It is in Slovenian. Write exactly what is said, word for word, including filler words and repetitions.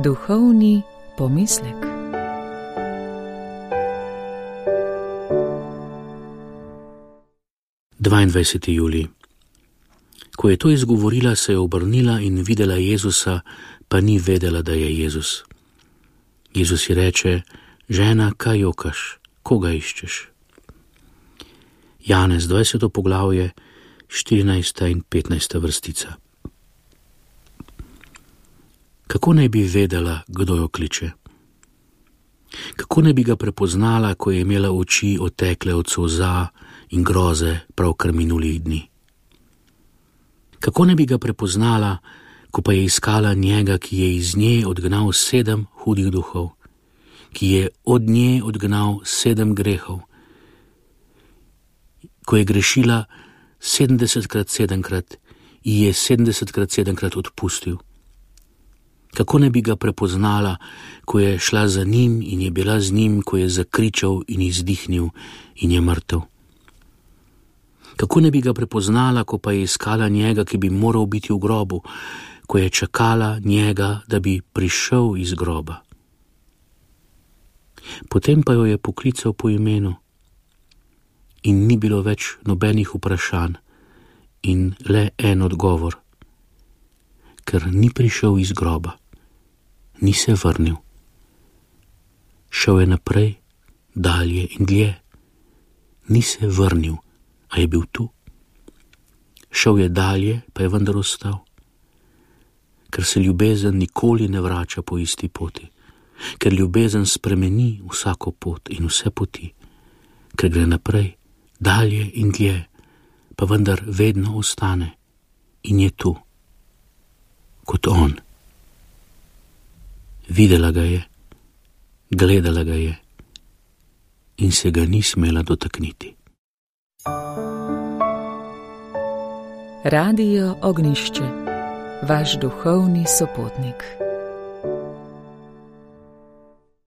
Duhovni pomislek. dvaindvajseti julij. Ko je to izgovorila, se je obrnila in videla Jezusa, pa ni vedela, da je Jezus. Jezus ji reče: žena, kaj jokaš, koga iščeš? Janez, dvajseto poglavje, štirinajsta in petnajsta vrstica. Kako naj bi vedela, kdo jo kliče? Kako naj bi ga prepoznala, ko je imela oči otekle od solza in groze pravkar minulih dni? Kako naj bi ga prepoznala, ko pa je iskala njega, ki je iz nje odgnal sedem hudih duhov, ki je od nje odgnal sedem grehov, ko je grešila sedemdesetkrat sedemkrat, ji je sedemdesetkrat sedemkrat odpustil? Kako ne bi ga prepoznala, ko je šla za njim in je bila z njim, ko je zakričal in izdihnil in je mrtev? Kako ne bi ga prepoznala, ko pa je iskala njega, ki bi moral biti v grobu, ko je čakala njega, da bi prišel iz groba? Potem pa jo je poklical po imenu in ni bilo več nobenih vprašanj in le en odgovor: ker ni prišel iz groba, ni se vrnil. Šel je naprej, dalje in dlje, ni se vrnil, a je bil tu. Šel je dalje, pa je vendar ostal. Ker se ljubezen nikoli ne vrača po isti poti, ker ljubezen spremeni vsako pot in vse poti, ker gre naprej, dalje in dlje, pa vendar vedno ostane in je tu, kot on. Videla ga je, gledala ga je in se ga ni smela dotakniti. Radio Ognjišče, vaš duhovni sopotnik.